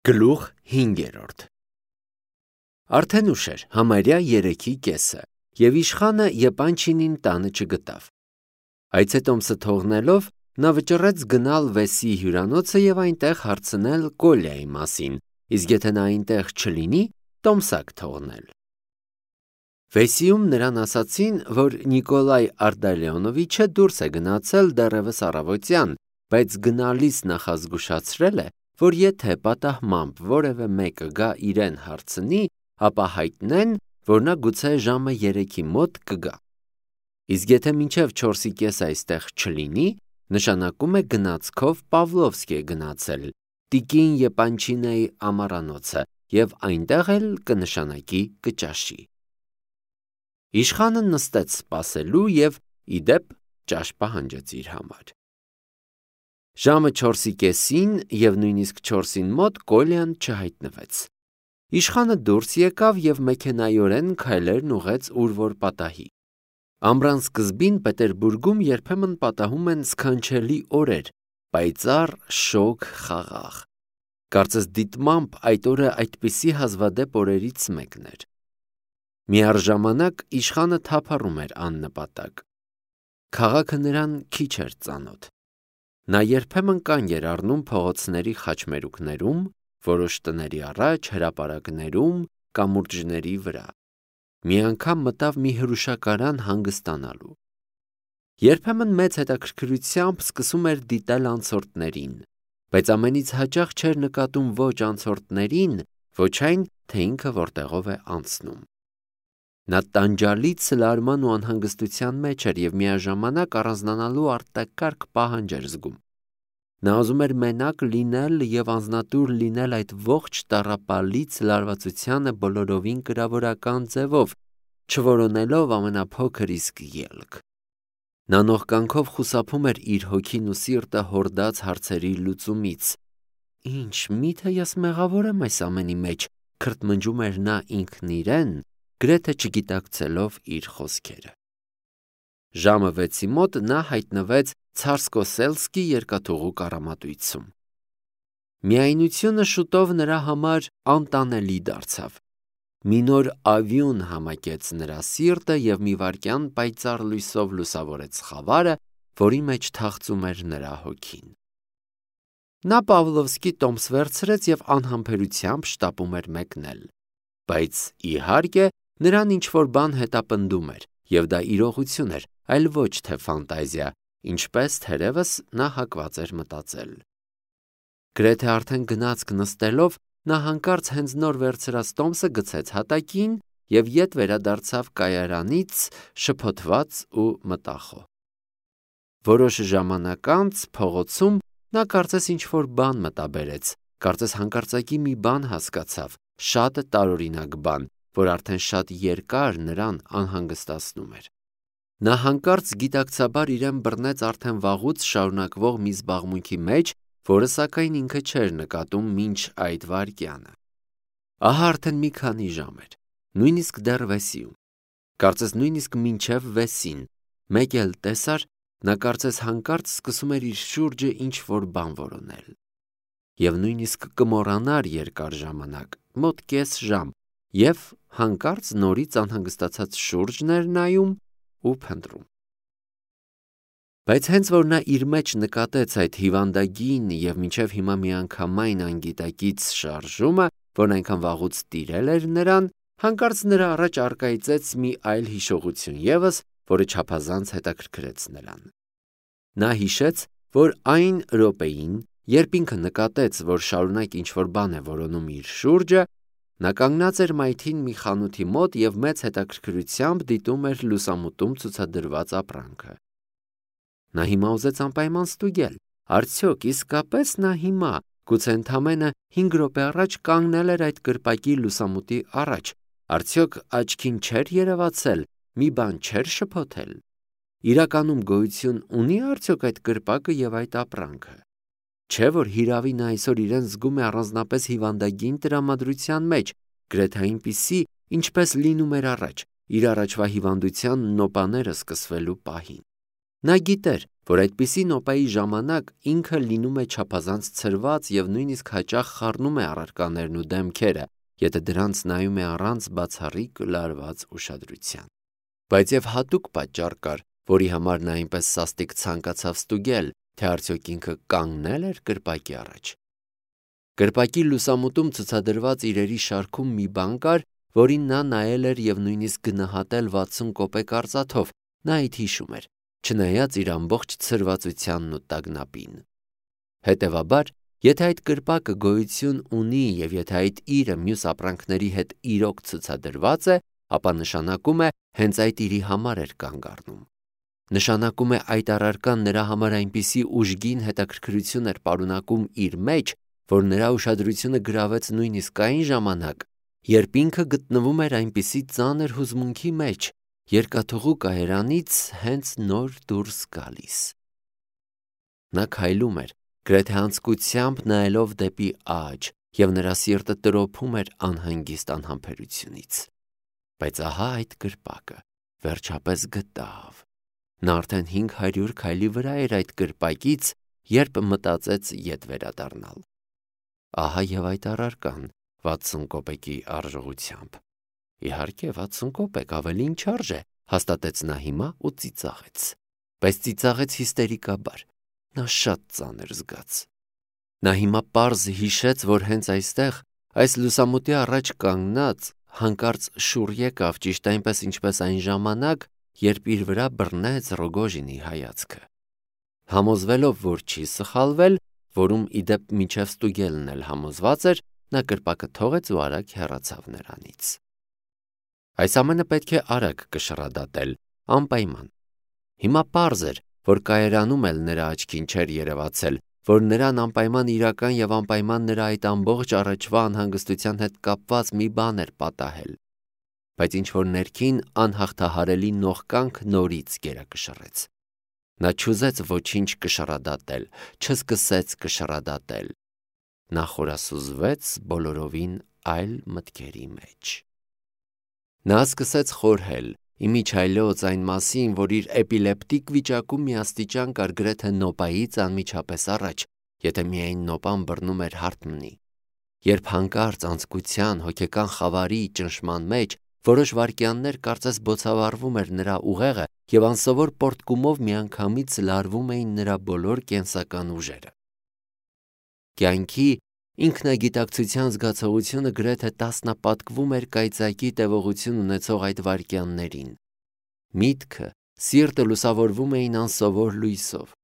Գլուխ 5. Արդեն ուշ էր, համարյա 3:30, և իշխանը Եպանչինին տանը չգտավ։ Այցետոմսը թողնելով, նա վճռեց գնալ Վեսիի հյուրանոցը և այնտեղ հարցնել Կոլյայի մասին, իսկ եթե նա այնտեղ չլինի, տոմսակ թողնել։ Վեսիում նրան ասացին, որ Նիկոլայ Արտալիոնովիչը դուրս է գնացել դեռևս առավոտյան, բայց գնալիս նախազգուշացրել է, որ եթե պատահմամբ որևէ մեկը գա իրեն հարցնի, ապա հայտնեն, որ նա գուցե ժամը 3-ի մոտ կգա։ Իսկ եթե մինչև 4:30 այստեղ չլինի, նշանակում է գնացքով Պավլովսկի է գնացել, տիկին Եպանչինայի ամառանոցը, և այնտեղ էլ կնշանակի կճաշի։ Իշխանը նստեց սպասելու և, ի դեպ, ճաշ պահանջեց իր համար։ Ժամը 4:30-ին և նույնիսկ 4-ին մոտ Կոլյան չհայտնվեց։ Իշխանը դուրս եկավ և մեքենայորեն քայլերն ուղղեց ուր որ պատահի։ Ամռան սկզբին Պետերբուրգում երբեմն պատահում են սքանչելի օրեր, պայծառ, շոգ, խաղաղ։ Կարծես դիտմամբ այդ օրը այդպիսի հազվադեպ օրերից մեկն էր։ Միառժամանակ իշխանը թափառում էր աննպատակ։ Քաղաքը նրան քիչ էր ծանոթ։ Նա երբեմն կանգ էր առնում փողոցների խաչմերուկներում, որոշ տների առաջ, հրապարակներում, կամուրջների վրա։ Մի անգամ մտավ մի հրուշակարան հանգստանալու։ Երբեմն մեծ հետաքրքրությամբ սկսում էր դիտել անցորդներին, բայց ամենից հաճախ չէր նկատում ոչ անցորդներին, ոչ այն, թե ինքը որտեղով է անցնում։ Նա տանջալից լարման ու անհանգստության մեջ էր և միաժամանակ առանձնանալու արտակարգ պահանջ էր զգում։ Նա ուզում էր մենակ լինել և անձնատուր լինել այդ ողջ տառապալից լարվածությանը բոլորովին կրավորական ձևով, չորոնելով ամենափոքր իսկ ելք։ Նա նոր կյանքով խուսափում էր իր հոգին ու սիրտը հորդած հարցերի լուծումից։ Ինչ, միթե ես մեղավոր եմ այս ամենի մեջ, քրթմնջում էր նա ինքն իրեն, գրեթե չգիտակցելով իր խոսքերը։ Ժամը 6-ի մոտ նա հայտնվեց Ցարսկոսելսկի երկաթուղու կառամատույցում։ Միայնությունը շուտով նրա համար անտանելի դարձավ։ Մի նոր ավյուն համակեց նրա սիրտը և մի վայրկյան պայծառ լույսով լուսավորեց խավարը, որի մեջ թախծում էր նրա հոգին։ Նա Պավլովսկի տոմս վերցրեց և անհամբերությամբ շտապում էր մեկնել։ Բայց, իհարկե, նրան ինչ-որ բան հետապնդում էր, և դա իրողություն էր, այլ ոչ թե ֆանտազիա, ինչպես թերևս նա հակված էր մտածել։ Գրեթե արդեն գնացք նստելով, նա հանկարծ հենց նոր վերցրած տոմսը գցեց հատակին և ետ վերադարձավ կայարանից շփոթված ու մտախոհ։ Որոշ ժամանակ անց փողոցում նա կարծես ինչ-որ բան մտաբերեց, կարծես հանկարծակի մի բան հասկացավ, շատ տարօրինակ բան, որ արդեն շատ երկար նրան անհանգստացնում էր։ Նա հանկարծ գիտակցաբար իրեն բռնեց արդեն վաղուց շարունակվող մի զբաղմունքի մեջ, որը սակայն ինքը չէր նկատում մինչ այդ վայրկյանը։ Ահա արդեն մի քանի ժամ էր, նույնիսկ դեռ Վեսիում։ Կարծես նույնիսկ մինչև Վեսին, մեկ էլ տեսար, նա կարծես հանկարծ սկսում էր իր շուրջը ինչ-որ բան որոնել։ Եվ նույնիսկ կմոռանար երկար ժամանակ, մոտ կես ժամ, և հանկարծ նորից անհանգստացած շուրջն էր նայում ու փնտրում։ Բայց հենց որ նա իր մեջ նկատեց այդ հիվանդագին և մինչև հիմա միանգամայն անգիտակից շարժումը, որն այնքան վաղուց տիրել էր նրան, հանկարծ նրա առաջ առկայծեց մի այլ հիշողություն ևս, որը չափազանց հետաքրքրեց նրան։ Նա հիշեց, որ այն րոպեին, երբ ինքը նկատեց, որ շարունակ ինչ-որ բան է որոնում իր շուրջը, նա կանգնած էր մայթին մի խանութի մոտ և մեծ հետաքրքրությամբ դիտում էր լուսամուտում ցուցադրված ապրանքը։ Նա հիմա ուզեց անպայման ստուգել, արդյոք իսկապես նա հիմա, գուցե ընդամենը 5 րոպե առաջ կանգնել էր այդ կրպակի լուսամուտի առաջ, արդյոք աչքին չէր երևացել, մի բան չէր շփոթել։ Իրականում գոյություն ունի՞ արդյոք այդ կրպակը և այդ ապրանքը։ Չէ՞ որ հիրավի նա այսօր իրեն զգում է առանձնապես հիվանդագին տրամադրության մեջ, գրեթե այնպիսի, ինչպես լինում էր առաջ, իր առաջվա հիվանդության նոպաները սկսվելու պահին։ Նա գիտեր, որ այդպիսի նոպայի ժամանակ ինքը լինում է չափազանց ցրված եւ նույնիսկ հաճախ խառնում է առարկաներն ու դեմքերը, եթե դրանց նայում է առանց բացառիկ լարված ուշադրության։ Բայց եւ հատուկ պատճառ կար, որի համար նա այնպես սաստիկ ցանկացավ ստուգել, թե արդյոք ինքը կանգնել էր կրպակի առաջ։ Կրպակի լուսամուտում ցուցադրված իրերի շարքում մի բան կար, որին նա նայել էր եւ նույնիսկ գնահատել 60 կոպեկ արծաթով, նա այդ հիշում էր, չնայած իր ամբողջ ցրվածությանն ու տագնապին։ Հետևաբար, եթե այդ կրպակը գոյություն ունի եւ եթե այդ իրը մյուս ապրանքների հետ իրոք ցուցադրված է, ապա նշանակում է հենց այդ իրի համար էր կանգ առնում։ Նշանակում է այդ առարկան նրա համար այնպիսի ուժգին հետաքրքրություն էր պարունակում իր մեջ, որ նրա ուշադրությունը գրավեց նույնիսկ այն ժամանակ, երբ ինքը գտնվում էր այնպիսի ծանր հուզմունքի մեջ, երկաթուղու կայարանից հենց նոր դուրս գալիս։ Նա քայլում էր, գրեթե անձկությամբ նայելով դեպի աջ, եւ նրա սիրտը տրոփում էր անհանգիստ անհամբերությունից։ Բայց ահա այդ կրպակը վերջապես գտավ։ Նա արդեն 500 քայլի վրա էր այդ կրպակից, երբ մտածեց ետ վերադառնալ։ Ահա եւ այդ առարկան 60 կոպեկի արժողությամբ։ Իհարկե 60 կոպեկ ավելին չարժ է, հաստատեց նա հիմա ու ծիծաղեց։ Բայց ծիծաղեց հիստերիկաբար։ Նա շատ ծանր զգաց։ Նա հիմա պարզ հիշեց, որ հենց այստեղ, այս լուսամուտի առաջ կանգնած, հանկարծ շուռ եկավ ճիշտ այնպես, ինչպես այն ժամանակ, երբ իր վրա բռնեց Ռոգոժինի հայացքը։ Համոզվելով, որ չի սխալվել, որում իդեպ միջև ստուգելն էլ համոզված էր, նա կրպակը թողեց ու արագ հեռացավ նրանից։ Այս ամենը պետք է արագ կշռադատել, անպայման։ Հիմա պարզ էր, որ կայարանում էլ նրա աչքին չէր երևացել, որ նրան անպայման իրական եւ անպայման նրա այդ ամբողջ առաջվա անհանգստության հետ կապված մի բան էր պատահել։ Բայց ինչ-որ ներքին անհաղթահարելի նողկանք նորից գերակշռեց։ Նա չուզեց ոչինչ կշռադատել, չսկսեց կշռադատել։ Նա խորասուզվեց բոլորովին այլ մտքերի մեջ։ Նա սկսեց խորհել, իմիջայլոց այն մասին, որ իր էպիլեպտիկ վիճակում մի աստիճան կար գրեթե նոպայից անմիջապես առաջ, եթե միայն նոպան բռնում էր հարթմնի։ Երբ հանկարծ անձկության, հոգեկան խավարի ճնշման մեջ որոշ վայրկյաններ կարծես բոցավառվում էր նրա ուղեղը եւ անսովոր պոռթկումով միանգամից լարվում էին նրա բոլոր կենսական ուժերը։ Կյանքի ինքնագիտակցության զգացողությունը գրեթե տասնապատկվում էր կայծակի տևողություն ունեցող այդ վայրկյաններին։ Միտքը, սիրտը լուսավորվում էին անսովոր լույսով։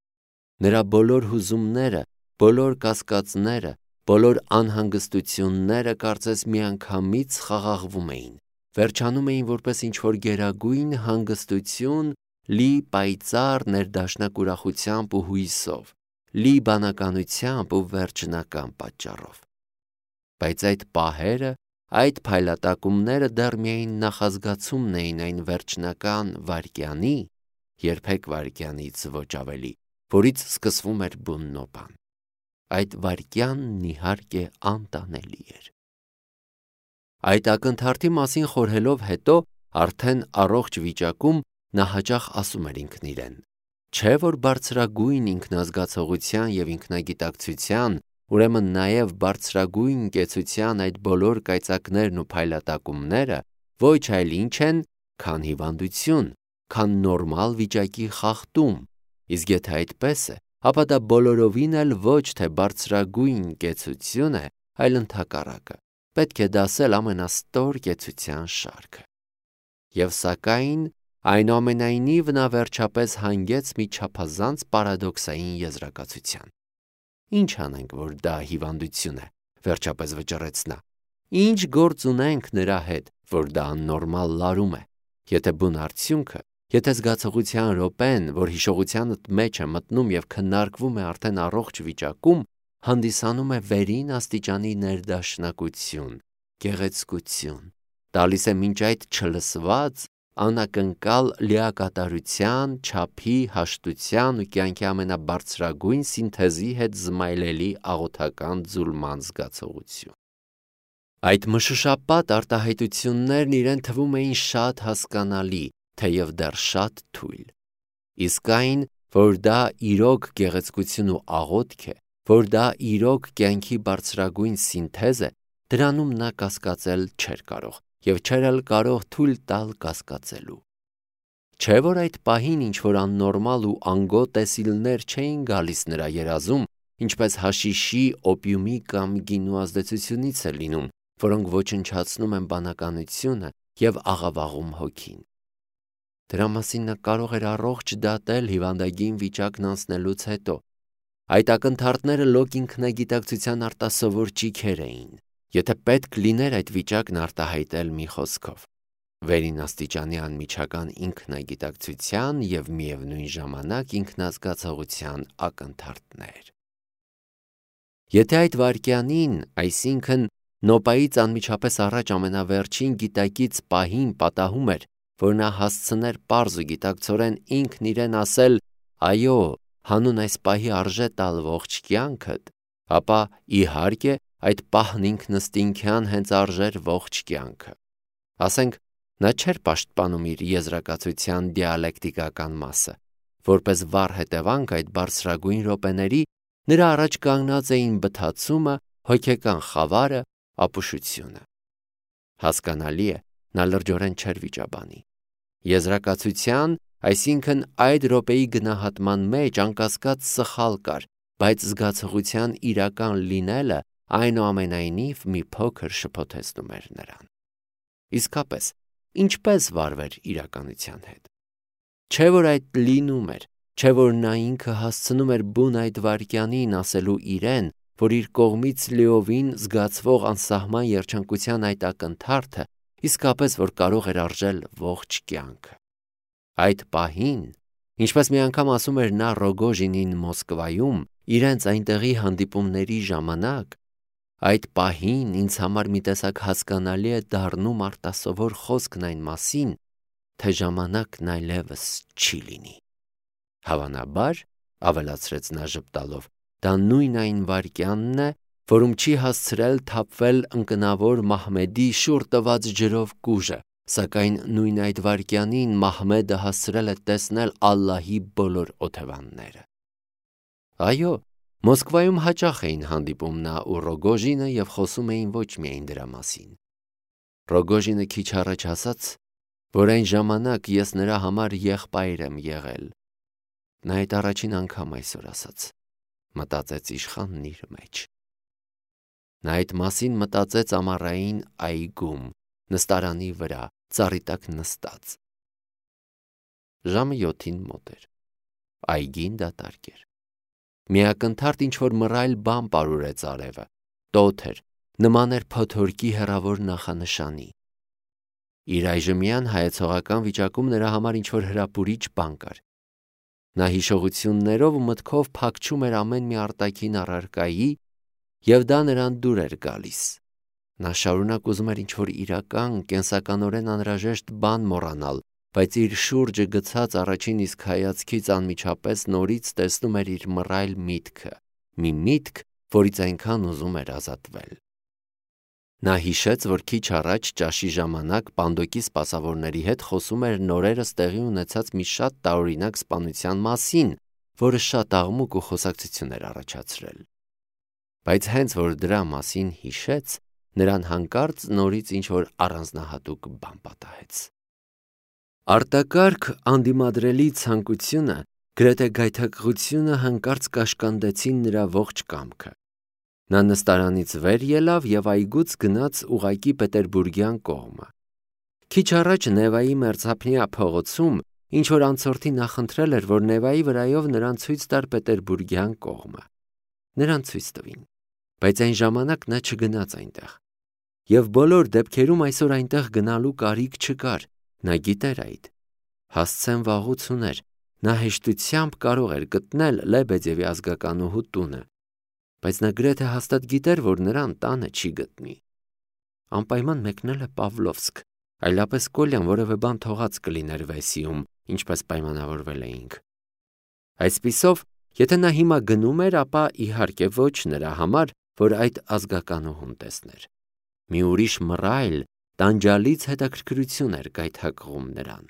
Նրա բոլոր հուզումները, բոլոր կասկածները, բոլոր անհանգստությունները կարծես միանգամից խաղաղվում էին, վերջանում էին որպես ինչ-որ գերագույն հանգստություն, լի պայծառ ներդաշնակ ուրախությամբ ու հույսով, լի բանականությամբ ու վերջնական պատճառով։ Բայց այդ պահերը, այդ փայլատակումները դեռ միայն նախազգացումն էին այն վերջնական վայրկյանի, երբեք վայրկյանից ոչ ավելի, որից սկսվում էր բուն նոպան։ Այդ վայրկյանն իհարկե անտանելի էր։ Այդ ակնթարթի մասին խորհելով հետո, արդեն առողջ վիճակում նա հաճախ ասում էր ինքն իրեն. չէ՞ որ բարձրագույն ինքնազգացողության եւ ինքնագիտակցության, ուրեմն նաեւ բարձրագույն կեցության այդ բոլոր կայծակներն ու փայլատակումները ոչ այլ ինչ են, քան հիվանդություն, քան նորմալ վիճակի խախտում, իսկ եթե այդպես է, ապա դա բոլորովին էլ ոչ թե բարձրագույն կեցություն է, այլ ընդհակառակը, պետք է դասել ամենաստոր կեցության շարքը։ Եվ սակայն, այնուամենայնիվ նա վերջապես հանգեց մի չափազանց պարադոքսային եզրակացության։ Ինչ անենք, որ դա հիվանդություն է, վերջապես վճռեց նա։ Ինչ գործ ունենք նրա հետ, որ դա աննորմալ լարում է, եթե բուն արդյունքը, եթե զգացողության րոպեն, որ հիշողությանդ մեջ է մտնում եւ քննարկվում է արդեն առողջ վիճակում, հանդիսանում է վերին աստիճանի ներդաշնակություն, գեղեցկություն, տալիս է մինչ այդ չլսված, անակնկալ լիակատարության, չափի, հաշտության ու կյանքի ամենաբարձրագույն սինթեզի հետ զմայլելի աղոթական ձուլման զգացողություն։ Այդ մշուշապատ արտահայտություններն իրեն թվում էին շատ հասկանալի, թեև դեռ շատ թույլ։ Իսկ այն, որ դա իրոք գեղեցկություն ու աղոթք է, որ դա իրոք կյանքի բարձրագույն սինթեզ է, դրանում նա կասկածել չէր կարող և չէր էլ կարող թույլ տալ կասկածելու։ Չէ՞ որ այդ պահին ինչ-որ աննորմալ ու անգոտ տեսիլներ չէին գալիս նրա երազում, ինչպես հաշիշի, օպիումի կամ գինու ազդեցությունից է լինում, որոնք ոչնչացնում են բանականությունը և աղավաղում հոգին։ Դրա մասին նա կարող էր առողջ դատել հիվանդագին վիճակն անցնելուց հետո։ Այդ ակնթարթները լոկ ինքնագիտակցության արտասովոր ճիգեր էին, եթե պետք լիներ այդ վիճակն արտահայտել մի խոսքով։ Վերին աստիճանի անմիջական ինքնագիտակցության և միևնույն ժամանակ ինքնազգացողության ակնթարթներ։ Եթե այդ վայրկյանին, այսինքն նոպայից անմիջապես առաջ ամենավերջին գիտակից պահին պատահում էր, որ նա հասցներ պարզ ու գիտակցորեն ինքն իրեն ասել «Այո, հանուն այս պահի արժե տալ ողջ կյանքդ», ապա իհարկե այդ պահն ինքնըստինքյան հենց արժեր ողջ կյանքը։ Ասենք, նա չէր պաշտպանում իր եզրակացության դիալեկտիկական մասը, որպես վառ հետևանք այդ բարձրագույն րոպեների նրա առաջ կանգնած էին բթացումը, հոգեկան խավարը, ապուշությունը։ Հասկանալի է, նա լրջորեն չէր վիճաբանի։ Եզրակացության, այսինքն այդ րոպեի գնահատման մեջ անկասկած սխալ կար, բայց զգացողության իրական լինելը այնուամենայնիվ մի փոքր շփոթեցնում էր նրան։ Իսկապես, ինչպես վարվեր իրականության հետ։ Չէ՞ որ այդ լինում էր, չէ՞ որ նա ինքը հասցնում էր բուն այդ վայրկյանին ասելու իրեն, որ իր կողմից լիովին զգացվող անսահման երջանկության այդ ակնթարթը իսկապես որ կարող էր արժել ողջ կյանքը։ Այդ պահին, ինչպես մի անգամ ասում էր նա Ռոգոժինին Մոսկվայում, իրենց այնտեղի հանդիպումների ժամանակ, այդ պահին ինձ համար մի տեսակ հասկանալի է դառնում արտասովոր խոսքն այն մասին, թե ժամանակն այլևս չի լինի։ Հավանաբար, ավելացրեց նա ժպտալով, դա նույն այն վայրկյանն է, որում չի հասցրել թափվել ընկնավոր Մահմեդի շուռ տված ջրով կուժը, սակայն նույն այդ վայրկյանին Մահմեդը հասցրել է տեսնել Ալլահի բոլոր օթևանները։ Այո, Մոսկվայում հաճախ էին հանդիպում նա ու Ռոգոժինը և խոսում էին ոչ միայն դրա մասին։ Ռոգոժինը քիչ առաջ ասաց, որ այն ժամանակ ես նրա համար եղբայր եմ եղել։ Նա այդ առաջին անգամ այսօր ասաց, մտածեց իշխանն իր մեջ։ Նա այդ մասին մտածեց ամառային այգում, նստարանի վրա, ծառի տակ նստած։ Ժամը 7-ին մոտ էր։ Այգին դատարկ էր։ Մի ակնթարթ ինչ-որ մռայլ բան պարուրեց արևը, տոթ էր, նման էր փոթորկի հեռավոր նախանշանի։ Իր այժմյան հայեցողական վիճակում նրա համար ինչ-որ հրապուրիչ բան կար։ Նա հիշողություններով ու մտքով փակչում էր ամեն մի արտաքին առարկայի, և դա նրան դուր էր գալիս։ Նա շարունակ ուզում էր ինչ-որ իրական, կենսականորեն անհրաժեշտ բան մոռանալ, բայց իր շուրջը գցած առաջին իսկ հայացքից անմիջապես նորից տեսնում էր իր մռայլ միտքը, մի միտք, որից այնքան ուզում էր ազատվել։ Նա հիշեց, որ քիչ առաջ ճաշի ժամանակ Պանդոկի սպասավորների հետ խոսում էր նորերս տեղի ունեցած մի շատ տարօրինակ սպանության մասին, որը շատ աղմուկ ու խոսակցություն էր առաջացրել։ Բայց հենց որ դրա մասին հիշեց, նրան հանկարծ նորից ինչ-որ առանձնահատուկ բան պատահեց։ Արտակարգ անդիմադրելի ցանկությունը, գրեթե գայթակղությունը հանկարծ կաշկանդեցին նրա ողջ կամքը։ Նա նստարանից վեր ելավ և այգուց գնաց ուղղակի Պետերբուրգյան կողմը։ Քիչ առաջ Նևայի մերձափնյա փողոցում ինչ-որ անցորդի նախընտրել էր, որ Նևայի վրայով նրան ցույց տար Պետերբուրգյան կողմը։ Նրան ցույց տվին, բայց այն ժամանակ նա չգնաց այնտեղ։ Եվ բոլոր դեպքերում այսօր այնտեղ գնալու կարիք չկար, նա գիտեր այդ։ Հասցեն վաղուց ուներ, նա հեշտությամբ կարող էր գտնել Լեբեդևի ազգականուհու տունը, բայց նա գրեթե հաստատ գիտեր, որ նրան տանը չի գտնի։ Անպայման մեկնել է Պավլովսկ, այլապես Կոլյան որևէ բան թողած կլիներ Վեսիում, ինչպես պայմանավորվել էինք։ Այսպիսով, եթե նա հիմա գնում էր, ապա իհարկե ոչ նրա համար, որ այդ ազգականուհուն տեսներ։ Մի ուրիշ մռայլ, տանջալից հետաքրքրություն էր գայթակղում նրան։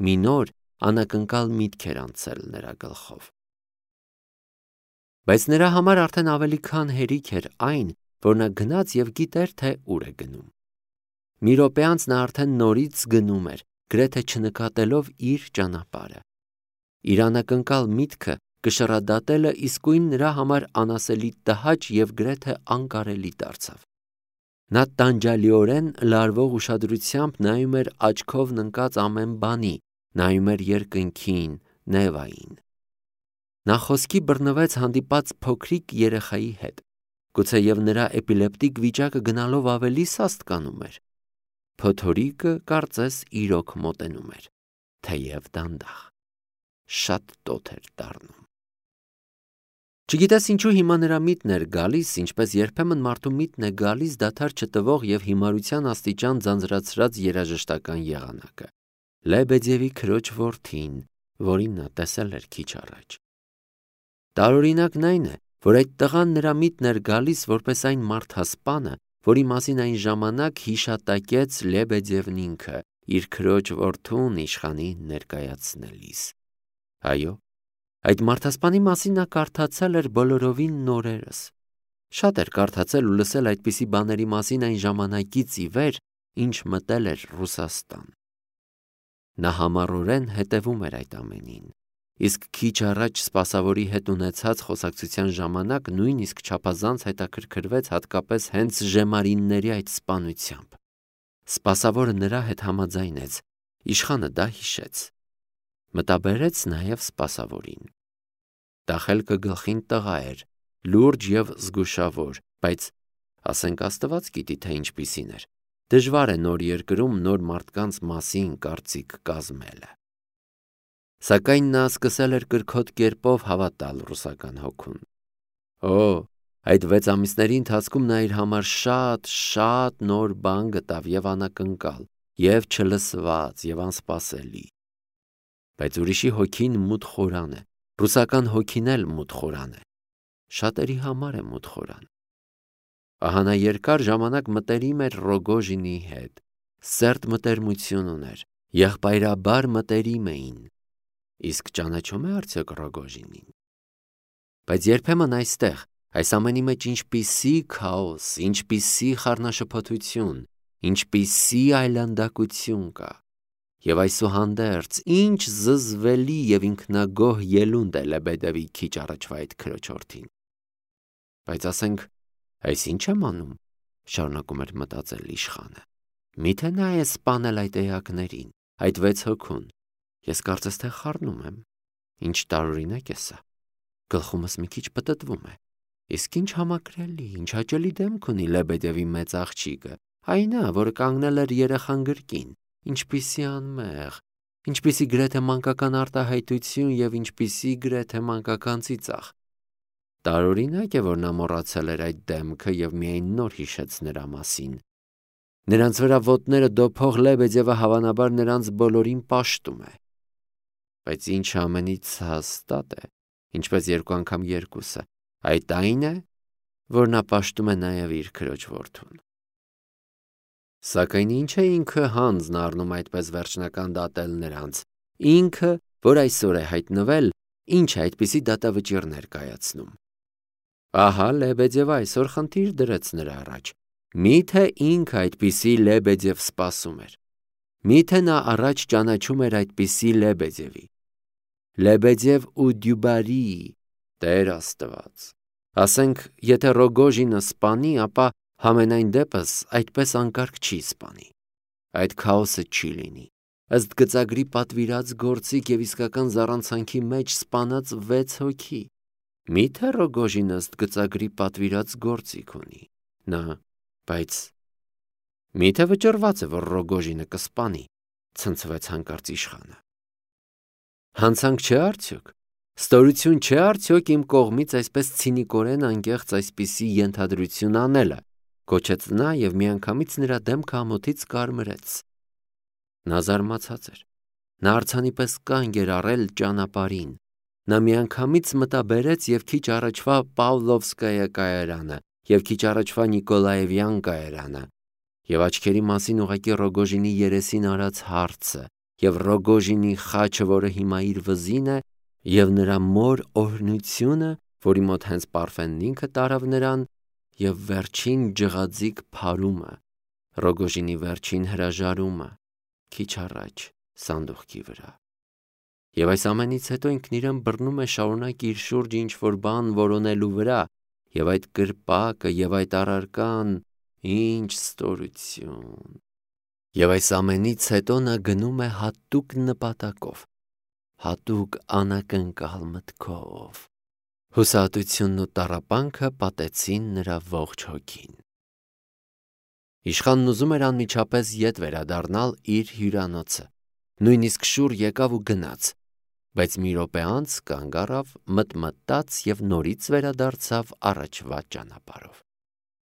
Մի նոր անակնկալ միտք էր անցել նրա գլխով։ Բայց նրա համար արդեն ավելի քան հերիք էր այն, որ նա գնաց և գիտեր, թե ուր է գնում։ Մի րոպե անց նա արդեն նորից գնում էր, գրեթե չնկատելով իր ճանապարհը։ Իր անակնկալ միտքը կշռադատելը իսկույն նրա համար անասելի տհաճ և գրեթե անկարելի դարձավ։ Նա տանջալիորեն լարվող ուշադրությամբ նայում էր աչքով ննկած ամեն բանի, նայում էր երկնքին, Նևային։ Նա խոսքի բռնվեց հանդիպած փոքրիկ երեխայի հետ, գուցեև նրա էպիլեպտիկ վիճակը գնալով ավելի սաստկանում էր։ Փոթորիկը կարծես իրոք մոտենում էր, թեև դանդաղ, շատ տոթ էր դառնում։ Չգիտես ինչու հիմա նրա միտն էր գալիս, ինչպես երբեմն մարդու միտն է գալիս դադար չտվող և հիմարության աստիճան ձանձրացրած երաժշտական եղանակը։ Լեբեդևի քրոջ որդին, որին նա տեսել էր քիչ առաջ։ Տարօրինակն այն է, որ այդ տղան նրա միտն էր գալիս որպես այն մարդասպանը, որի մասին այն ժամանակ հիշատակեց Լեբեդևն ինքը, իր քրոջ որդուն իշխանին ներկայացնելիս։ Այո, այդ մարդասպանի մասին նա կարդացել էր բոլորովին նորերս։ Շատ էր կարդացել ու լսել այդպիսի բաների մասին այն ժամանակից ի վեր, ինչ մտել էր Ռուսաստան։ Նա համառորեն հետևում էր այդ ամենին, իսկ քիչ առաջ սպասավորի հետ ունեցած խոսակցության ժամանակ նույնիսկ չափազանց հետաքրքրվեց հատկապես հենց ժեմարինների այդ սպանությամբ։ Սպասավորը նրա հետ համաձայնեց, իշխանը դա հիշեց։ Մտաբերեց նաև սպասավորին։ Դա խելքը գլխին տղա էր, լուրջ և զգուշավոր, բայց ասենք Աստված գիտի, թե ինչպիսին էր։ Դժվար է նոր երկրում նոր մարդկանց մասին կարծիք կազմելը։ Սակայն նա սկսել էր կրքոտ կերպով հավատալ ռուսական հոգուն։ Այդ 6 ամիսների ընթացքում նա իր համար շատ նոր բան գտավ և անակնկալ, և չլսված, և անսպասելի։ Բայց ուրիշի հոգին մութ խորան է, ռուսական հոգին էլ մութ խորան է։ Շատերի համար է մութ խորան։ Ահա նա երկար ժամանակ մտերիմ էր Ռոգոժինի հետ, սերտ մտերմություն ուներ, եղբայրաբար մտերիմ էին։ Իսկ ճանաչո՞ւմ է արդյոք Ռոգոժինին։ Բայց երբեմն այստեղ, այս ամենի մեջ ինչպիսի քաոս, ինչպիսի խառնաշփոթություն, ինչպիսի այլանդակություն կա։ Եվ այսուհանդերձ, ինչ զզվելի և ինքնագոհ ելունդ է Լեբեդևի քիչ առաջվա այդ քրոջորդին։ Բայց ասենք, այս ինչ եմ անում, շարունակում էր մտածել իշխանը։ Միթե նա է սպանել այդ էակներին, այդ 6 հոգուն։ Ես կարծես թե խառնում եմ։ Ինչ տարօրինակ է սա։ Գլխումս մի քիչ պտտվում է։ Իսկ ինչ համակրելի, ինչ հաճելի դեմք ունի Լեբեդևի մեծ աղջիկը, այնա, որը կանգնել էր երեխան գրկին, ինչպիսի անմեղ, ինչպիսի գրեթե մանկական արտահայտություն և ինչպիսի գրեթե մանկական ծիծաղ։ Տարօրինակ է, որ նա մոռացել էր այդ դեմքը և միայն նոր հիշեց նրա մասին։ Նրանց վրա ոտները դոփող Լեբեդևը հավանաբար նրանց բոլորին պաշտում է։ Բայց ինչը ամենից հաստատ է, ինչպես 2 անգամ 2-ը, այդ այն է, որ նա պաշտում է նաև իր քրոջ որդուն։ Սակայն ինչ է ինքը հանձն առնում այդպես վերջնական դատել նրանց, ինքը, որ այսօր է հայտնվել, ինչ է այդպիսի դատավճիռ ներկայացնում։ Ահա Լեբեդևը այսօր խնդիր դրեց նրա առաջ։ Միթե ինքը այդպիսի Լեբեդև սպասում էր։ Միթե նա առաջ ճանաչում էր այդպիսի Լեբեդևի։ Լեբեդև ու Դյուբարի, Տեր Աստված։ Ասենք, եթե Ռոգոժինը սպանի, ապա համենայն դեպս այդպես անկարգ չի սպանի։ Այդ քաոսը չի լինի։ Ըստ գծագրի պատվիրած գործիք և իսկական զառանցանքի մեջ սպանած 6 հոգի։ Միթե Ռոգոժինը ըստ գծագրի պատվիրած գործիք ունի։ Բայց միթե վճռված է, որ Ռոգոժինը կսպանի, ցնցվեց հանկարծ իշխանը։ Հանցանք չէ արդյոք։ Ստորություն չէ արդյոք իմ կողմից այսպես ցինիկորեն անկեղծ այսպիսի ենթադրություն անելը, գոչեց նա և միանգամից նրա դեմքը ամոթից կարմրեց։ Նա զարմացած էր։ Նա արձանի պես կանգ էր առել ճանապարհին։ Նա միանգամից մտաբերեց և քիչ առաջվա Պավլովսկայա կայարանը, և քիչ առաջվա Նիկոլաևյան կայարանը, և աչքերի մասին ուղղակի Ռոգոժինի երեսին արած հարցը, եւ Ռոգոժինի խաչը, որը հիմա իր վզին է, եւ նրա մոր օրհնությունը, որի մոտ հենց Պարֆենն ինքը տարավ նրան, եւ վերջին ջղաձիգ փարումը, Ռոգոժինի վերջին հրաժարումը, քիչ առաջ սանդուղքի վրա։ Եվ այս ամենից հետո ինքն իրեն բռնում է շարունակ իր շուրջ ինչ-որ բան որոնելու վրա, եւ այդ կրպակը եւ այդ առարկան, ինչ ստորություն։ Եվ այս ամենից հետո նա գնում է հատուկ նպատակով, հատուկ անակնկալ մտքով։ Հուսահատությունն ու տառապանքը պատեցին նրա ողջ հոգին։ Իշխանն ուզում էր անմիջապես ետ վերադառնալ իր հյուրանոցը, նույնիսկ շուռ եկավ ու գնաց, բայց մի րոպե անց կանգ առավ, մտմտաց եւ նորից վերադարձավ առաջվա ճանապարհով։